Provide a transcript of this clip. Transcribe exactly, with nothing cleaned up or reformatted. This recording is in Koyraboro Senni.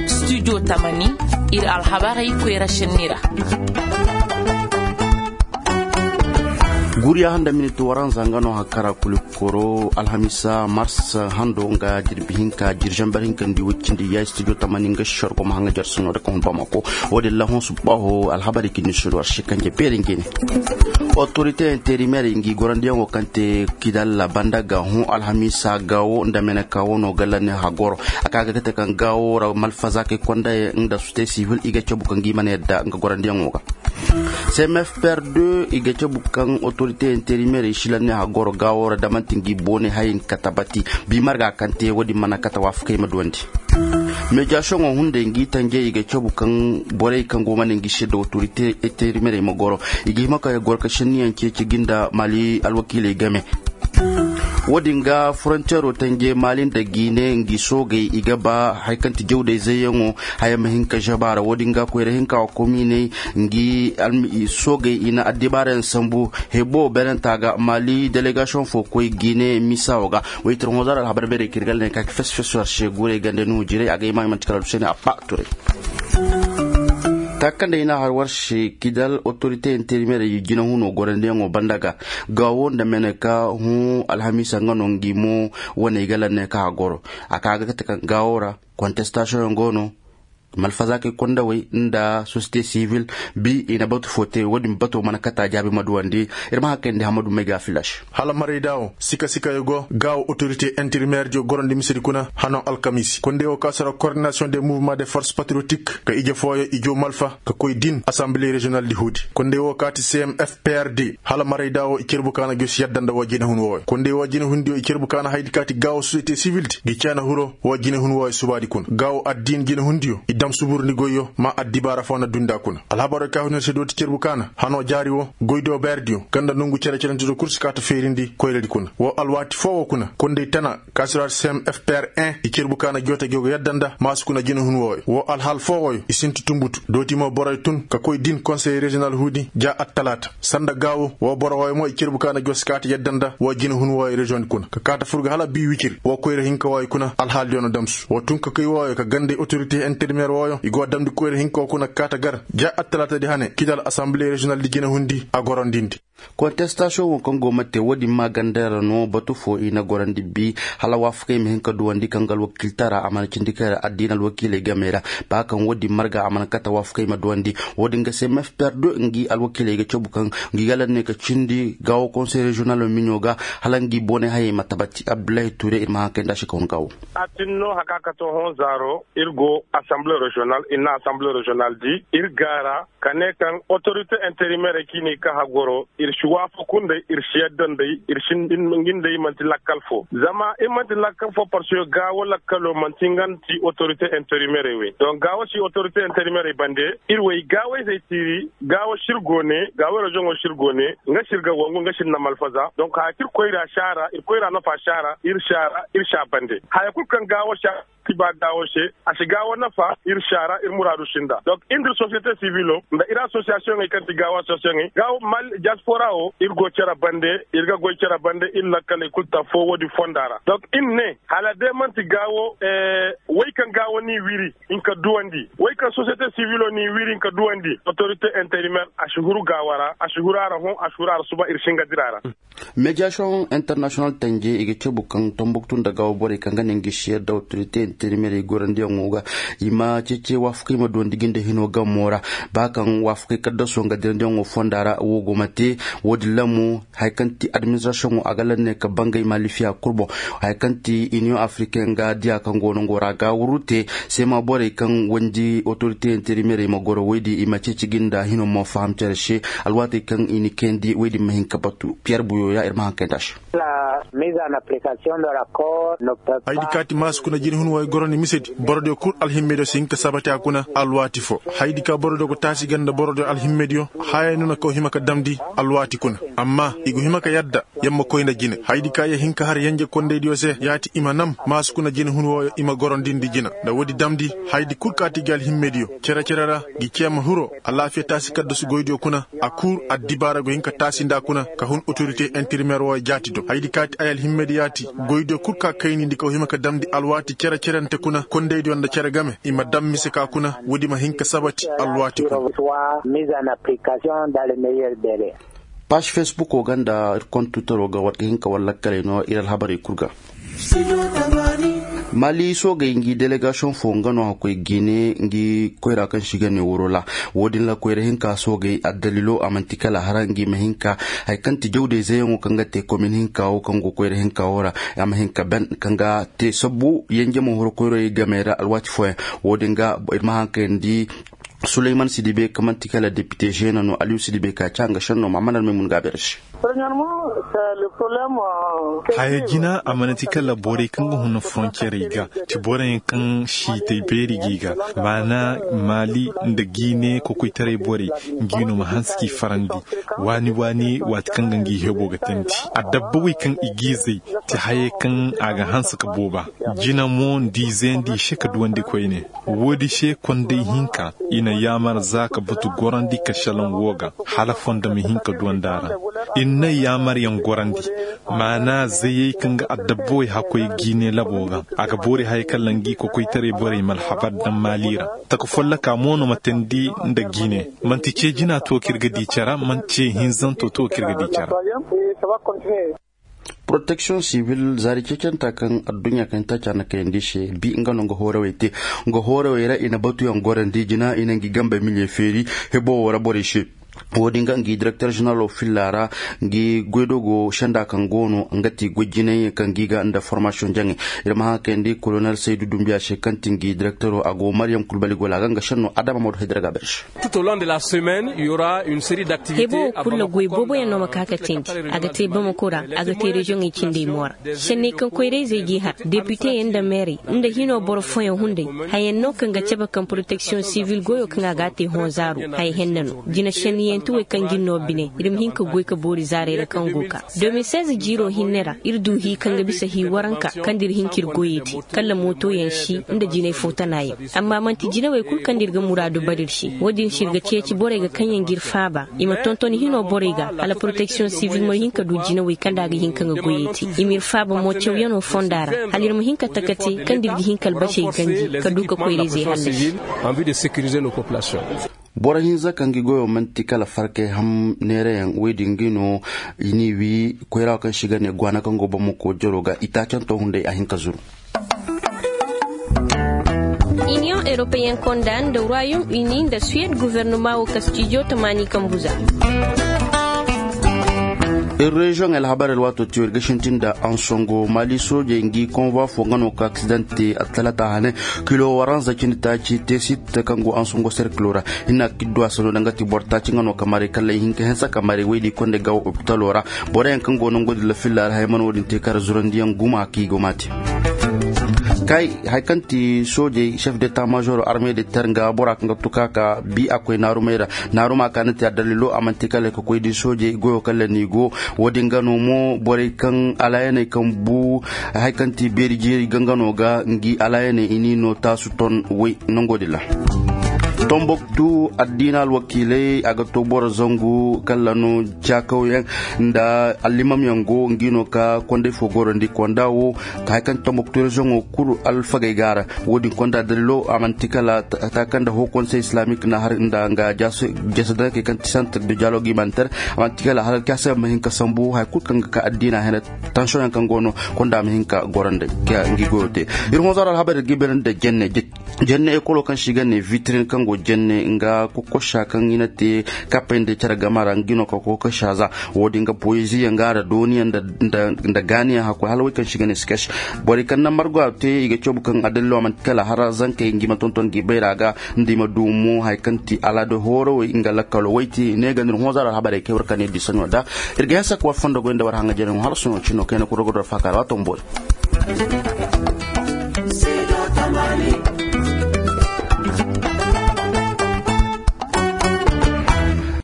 Studio tamani, ir alhabarey koyra šenni ra. Guriya handa miniti waranza nga no hakara kuli koro alhamisa mars hando nga jirbi hinka jirjambar hinka ndi waccindi ya studio tamani nga shargo ma hanga jarsuno da kan bamako. Wodin lahon subaho alhabari kini suru arshi kanje berin gene. Autorité intérimaire ngi gorandiyaŋo kaŋ te kidalla banda ga hõ alhamisa gawo nda meneka wono galla ne hagoro. A ka ga kate kaŋ gawo ra malfazakey kondayaŋ nda société civile i ga cabu kaŋ gi mana yadda nga gorandiyaŋo ga. Cmf pr deux i ga cabu kaŋ autorité intérimaire i silan ne hagoro gawo ra damanti ngi boone hayin katabati. Bi marga kaŋ te wodin mana kata waafakey ma duwandi. Mediasoŋo hunday ngi tanjey i ga cabu kaŋ borey kaŋ go mana ngi se da autorité intérimaire ma goro. I ga hima ka goro ka senniyaŋ ceeci gi nda mali alwakiiley game. Wo-din ga frontiero tanje mali nda gine ngi soogey i ga ba hari kaŋ ti jawday zayyaŋo. Haya ma hin ka žaba ra wo-din ga koyra hinka wa kominey ngi soogey i na addibaarayaŋ sambu. Hebo berenta ga mali delegasiyoŋ fo koy gine misawo ga. Waytir hozar alhabar beerey ka ir galla ne ka ki fes fes war se guurey gande nuhu jirey a ga hima i manti kala du se ne a ba turay. Taaka kaŋ nda i n'a har war se kidal autorite interimeerey jinahuno gorandiyaŋo banda ga. Gaawo nda mene ka hũ alhamiisa nga no ngi mo wane i ga lanne ka a goro. A ka ga kate kaŋ gaawo ra kontestasiyoŋ yaŋ go no. Malfazakey kondawey nda sosiyete sivil bi i na batu fo te wo-din bato mana kata jaabi ma duwandi. Ir ma hakkayndi hamadu may ga filas. Hala marayda wo sika sika yo go gaawo otorite interimeer diyo gorandi misedi kuna hano alkamiisi konde wo ka sara kordinasiyoŋ de muvuma de forse patriyotik ka ije fooyo ijo malfa ka koy din asamble reziyonal di huudi. Konde wo ka ti cmf prd hala marayda wo i cerbu ka na jos yadda nda woo jinehun wooyo konde woo jinehun diyo i cerbu ka na haydi ka ti gaawo sosiyete sivil di gi ceena huro woo jinehun wooyo subaadi kuna gaawo addiin jinehun diyo i dam suburndi goyyo ma addibaara foo na dundi a kuna. Alhabaroo ka hunir se dooti cerbu ka na hanoo jaari woo goydo beerdiyo kaŋ nda nongu cere-cerenti do kul si kaa ta feerindi koyradi kuna woo alwaati foo woo kuna konday tana ka si ra cmf pr un i cerbu ka na joote gi go yadda nda maasu kuna jinehun wooyo woo alhaal foo wooyo i sinti tunbutu dooti mo boroyo tun ka koy din konsey reziyonal huudi ja attalaata sanda gaawo woo boro wooyo mo i cerbu ka na jos kaati yadda nda woo jinehun wooyo reziyoŋ di kuna ka kaata fur ga hala bii wicir woo koyra hinka wooyo kuna alhaal diyo na damsu woo tun ka koy wooyo ka ganday otorite interimeer wooyo i go damndi koyra hinka woo kuna ka kaata gar ja attalaata di hane kidal asamble reziyonal di jinehundi a gorondindi. Kontestasiyoŋ wo kaŋ go ma te wo-din maaganda ra no batu fo i na gorandi bi hala waafakey ma hin ka duwandi kaŋ ga alwakiilta ra a mana cindi kay ra addiina alwakiiley game ra. Ba kaŋ wo-din marga a mana kata waafakey ma duwandi wo-din ga se mef perdo ngi alwakiiley ga cabu kaŋ ngi ga lanne ka cindi gaawo konsey reziyonal miɲo ga hala ngi boonay hayey ma tabati abdullahi ture ir ma haŋ kay nda a si kaŋ gaawo. A tin no haka ka to hõ zaaro ir go asamble reziyonal ir na asamble reziyonal di ir gaara ka ne kaŋ otorite interimeerey kaŋ i ne i ka hagoro ir si waafaku nd'ey ir si yadda nd'ey ir si ngi nd'ey man'ti lakkal foo zama ir man'ti lakkal foo parceque gaawo lakkaloo man'ti nga nda ti otorite interimeerey wey donk gaawo si otorite interimeerey bande ir wey gaawey zey tiiri gaawo si ir go ne gaawo reziyoŋo si ir go ne nga si ir ga wangu nga si ir na malfaza donk haya kaŋ ir koyra si a ra ir koyra nafa si a ra ir si a ra ir si a bande haya kul kaŋ gaawo si a ti ba gaawo se a si gaawo nafa ir si a ra ir muraadu sinda donk ir nda ir sosiyete sivilo nda ir asosiyasiyoŋey kaŋ ti gaawo asosiyasiyoŋey gaawo mal diaspora wo ir go cere bande ir ga goy cere bande ir lakkaley kul ta foo woodin fonda ra donk ir ne hala day man'ti gaawo wey kaŋ gaawo n'i wiri hinka duwandi wey kaŋ sosiyete sivilo n'i wiri hinka duwandi otorite interimeer a si huru gaawo ra a si huru a ra hõ a si huru a ra suba ir si nga dira ra. Mediasiyoŋ internasiyonal tanje i ga cabu kaŋ tombuktu nda gaawo borey kaŋ ga ne ngi si yadda otorite interimeerey gorandiyaŋo ga i ma ceece waafakey ma duwandi gi nda hinoo gamo ra. Ba kaŋ waafakey kaddaso nga dirandiyaŋo fonda ra woo go ma te woo din lamu haya kaŋ ti adiministirasiyoŋo a ga lanne ka bangay malifiya kul boŋ. Haya kaŋ ti iniyoŋ afriken ga diya kaŋ go no ngo ra ga wuru te seema borey kaŋ wandi otorite interimeerey ma goro woy din i ma ceeci gi nda hino mo faham cere se. Alwaatey kaŋ i na kayandi woy din ma hin ka batu piyer buyo ya ir ma haŋ kayndi a se. Haydi kaati maasu kuna jinehun wooyo goroni misedi borodiyo kul alhimmediyo si hin ka sabati a kuna alwaati foo. Haydi ka borodiyo go taasi ganda borodiyo alhimmediyo hayay no na kaw hima ka damndi alwaati kuna. Amma i go hima ka yadda yer ma koy nda jine haydi ka yer hin ka har yenje kondaydiyo se yaati i ma nam maasu kuna jinehun wooyo i ma gorondindi jina nda woodi damndi. Haydi kul kaati gi alhimmediyo cere-cere ra gi ceema hiro alaafiya taasi kaddasu goydiyo kuna a kul addibaara go hin ka taasi nda a kuna ka hun otorite interimeer wooyo jaati do haydi kaati. Ay alhimmedi yaati. Goydiyo kul ka kaynindi ka hima ka damndi alwaati cere-cerente kuna kondeydiyo nda cere game i ma dam mise ka kuna woodi ma hin ka sabati alwaati kuna. Paas fesbukoo ga nda ir kontutaroo ga war ga hin ka war lakkaley no ir alhabarey kul ga. Mali soogey ngi delegasiyoŋ foo nga no hakkoy gine ngi koyra kaŋ si ga ne woro ra. Wo-din ra koyra hinka soogey addalilo a man'ti kala hara ngi ma hinka haya kaŋ ti jawde zeyaŋo kaŋ ga te komin hinka wo kaŋ go koyra hinka wo ra. A ma hinka ben kaŋ ga te sabbu yanje ma horo koyroyey gamey ra alwaati fooyaŋ. Wo-din ga ir ma haŋ kayandi suleyman sidibe kaŋ man'ti kala depite žena no aliyu sidibe ka ca nga šenno ma a mana almay mun ga a beere se. Haya jina a mana ti kala borey kaŋ ga huna foronciyarey ga ti boroyaŋ kaŋ siitay beeri g'i ga. Maana maali nda giine kokoytaray borey ngi no ma hanse k'i farandi waani waani waati kaŋ ga ngi hebo ga tandi. Adabba wey kaŋ i g'i zay ti hayey kaŋ a ga hanse ka booba. Jina mo nda i zayandi i se ka duwandi koyne. Woodi se konday hinka i na yaamar za ka batu gorandi ka šelaŋ wo ga hala fondo ma hin ka duwandi a ra. I na yaamar yaŋ gorandi maana zayey kaŋ ga adabba wey hakkoy giine labo ga. A ga boori haya kaŋ ra ngi kokoytaray borey ma alhabar daŋ maali ra. Taka folloka mo no ma teendi nda giine. Man'ti ce jina to kaŋ ir ga di care man'ti ce hinzanto to kaŋ ir ga di care. Poroteksiyoŋ sivil zaari ceecanta kaŋ adduɲɲa kaŋ taaca na kayandi se bi nga no nga hoorawey te. Nga hoorawey ra i na batuyaŋ gorandi jina i na ngi gambey miliyey feeri hebo wo ra borey se. Wo-din ga ngi direkter ženeralo filla ra ngi goydogo senda kaŋ go no nga ti goy jinay kaŋ gi ga nda formasiyoŋ jaŋay. Ir ma haŋ kayandi kolonel saydu dumbiya se kaŋ ti ngi direktero a go maryam kulbali gola ga nga senno adama madu haydara ga berse. Hebo wo kulu goy booboyaŋ no ma ka ka teendi. A ga te bamako ra, a ga te reziyoŋey cindey mo ra. Senney kaŋ koyra-izey g'i har depiteyaŋ nda meerey nda hino boro fooyaŋ hunday. Hayaŋ no kaŋ ga cabe kaŋ poroteksiyoŋ sivil goyo kaŋ a ga a te hõ zaaru haya henna no. Jina senniyanti wey kaŋ g'ir no bine ir ma hin ka goy ka boori zaaray ra kaŋ go ka. Deux mille seize jiiro hinne ra ir du hii kaŋ ga bisa hii waranka kaŋ da ir hin k'ir goyey te. Kala mootoyaŋ si nda jinay foo tanayaŋ. Amma man'ti jinawey kul kaŋ da ir ga muraadu bara ir se. Wo-din se ir ga ceeci borey ga kaŋ yaŋ g'ir faaba i ma tonton hino borey ga hala poroteksiyoŋ sivil ma hin ka du jinawey kaŋ da a ga hin ka nga goyey te. I m'ir faaba mo cawyanoo fonda ra hala ir ma hin ka taka te kaŋ da ir ga hin ka albasey ganji ka du ka koyra-izey hallasi. Boro hinza kaŋ ga goyo man'ti kala farkay ham neerayaŋ wey din ga no. I n'i wi koyra kaŋ se i ga ne gwaana kaŋ go bamako jaroo ga itaacanto hunday a hin ka zuru. Iniyoŋ europeyen konda nda royaume uni nda suwed guvernoma wo kastijo tamaani kambuza. Ir reziyoŋ alhabar alwaato tiyo ir ga sintin nda ansongo mali soojey ngi konvoi fo nga no ka aksidante atalata hane. Kilo waranza cindi taaci tesit kaŋ go ansongo serkilo ra. Hinna kiddu a sano da nga ti boro taaci nga no ka maray kala i hin ka hinsa ka maray waydi konde gawo opitalo ra. Boroyaŋ kaŋ go nango din lafilla ra haya mana wo-din te kara zurandiyaŋ guma kaŋ i go ma te. Kay haya kaŋ ti soojey chef de ta major arme de ter nga bora kaŋ ga tuka ka bi a koy naarumay ra. Naaruma ka na te addalilo a man'ti kala ka koy di soojey goyo kala n'i go. Wo-din ga no mo borey kaŋ alaayaney kaŋ bu haya kaŋ ti beeri jeeri gangano ga ngi alaayaney i n'i no taasu ton way nango din ra. Tomboktu addiina alwakiiley a ga to boro zangu kala no caakawyaŋ nda allimamyaŋ go ngi no ka konday fo gorandi konda wo. Haya kaŋ ti tomboktu reziyoŋo kulu alfagey ga a ra. Wo-din konda dalilo a man'ti kala ta kaŋ nda hoo konsey islamik na har nda nga jasa dankey kaŋ ti santir de dialogue humanitaire. A man'ti kala hala alkaasay ma hin ka sambu haya kulu kaŋ ga ka addiina hene. Tansiyoŋyaŋ kaŋ go no konda ma hin ka gorandi ngi goyo te. Ir hõ zaaro alhabar ir ga i beerandi nda jenne jenne ekolo kaŋ se i ga ne vitrin kaŋ go jenne nga kokosa kaŋ i na te kappey nda care gama ra ngi no ka kokosa za. Wo-din ga poeziyaŋ ga nda dooniyaŋ nda gaaniyaŋ hakkoy hala wey kaŋ se i ga ne sketch. Borey kaŋ na margo a te i ga coobu kaŋ adalilo a man'ti kala hara zankey ngi ma tonton ngi bayra ga nda i ma du mo haya kaŋ ti alaada hoorawey nga lakkalo wey ti ne ga no ir hõ zaaro alhabarey kay war ka ne di saɲo da. Ir ga hinsa ka war fondo goy nda war haŋa jere hala soɲo cino kayna kul rogo do war faaka ra waato ma boori.